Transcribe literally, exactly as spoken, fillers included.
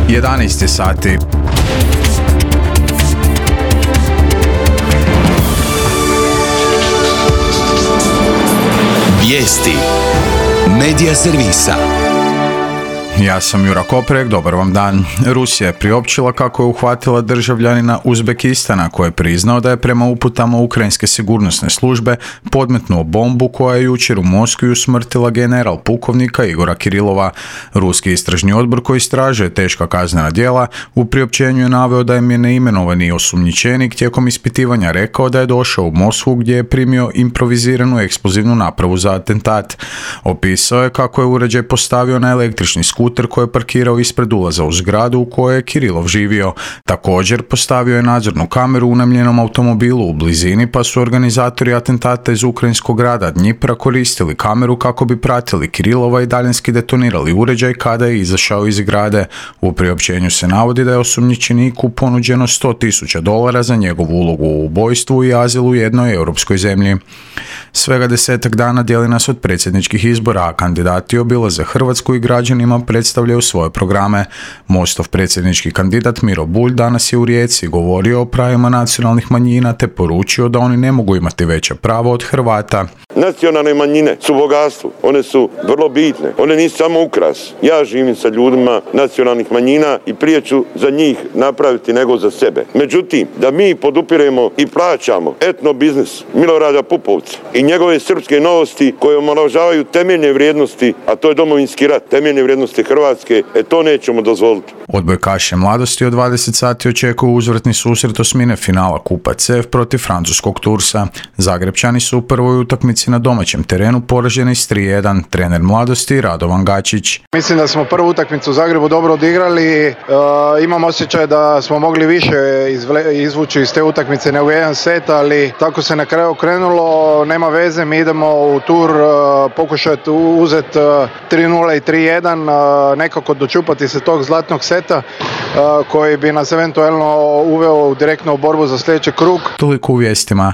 jedanaest je sati. Vijesti Medija servisa. Ja sam Jura Koprek, dobar vam dan. Rusija je priopćila kako je uhvatila državljanina Uzbekistana koji je priznao da je prema uputama ukrajinske sigurnosne službe podmetnuo bombu koja je jučer u Moskvi usmrtila general pukovnika Igora Kirilova. Ruski istražni odbor koji istražuje teška kaznena djela u priopćenju je naveo da je neimenovani osumnjičenik tijekom ispitivanja rekao da je došao u Moskvu gdje je primio improviziranu eksplozivnu napravu za atentat. Opisao je kako je uređaj postavio na električni skuter koji je parkirao ispred ulaza u zgradu u kojoj je Kirilov živio. Također postavio je nadzornu kameru u unajmljenom automobilu u blizini, pa su organizatori atentata iz ukrajinskog grada Dnjipra koristili kameru kako bi pratili Kirilova i daljinski detonirali uređaj kada je izašao iz zgrade. U priopćenju se navodi da je osumnjičeniku ponuđeno sto tisuća dolara za njegovu ulogu u ubojstvu i azil u jednoj europskoj zemlji. Svega desetak dana dijeli nas od predsjedničkih izbora, a kandidati obilaze Hrvatsku i građanima predstavljaju svoje programe. Mostov predsjednički kandidat Miro Bulj danas je u Rijeci govorio o pravima nacionalnih manjina te poručio da oni ne mogu imati veća prava od Hrvata. Nacionalne manjine su bogatstvo, one su vrlo bitne, one nisu samo ukras. Ja živim sa ljudima nacionalnih manjina i prije ću za njih napraviti nego za sebe. Međutim, da mi podupiremo i plaćamo etno biznis Milorada Pupovca i njegove srpske novosti koje omalovažavaju temeljne vrijednosti, a to je Domovinski rat, temeljne vrijednosti Hrvatske, e to nećemo dozvoliti. Odbojkaše Mladosti od dvadeset sati očekuju uzvratni susret osmine finala Kupa C F protiv francuskog Tursa. Zagrebčani su u prvoj utakmici na domaćem terenu poraženi s tri jedan. Trener Mladosti Radovan Gačić. Mislim da smo prvu utakmicu u Zagrebu dobro odigrali. E, imam osjećaj da smo mogli više izvle, izvući iz te utakmice nego jedan set, ali tako se na kraju krenulo. Nema veze, mi idemo u Tur e, pokušati uzeti e, tri nula i tri jedan, e, nekako dočupati se tog zlatnog seta koji bi nas eventualno uveo direktno u borbu za sljedeći krug. Toliko u vijestima.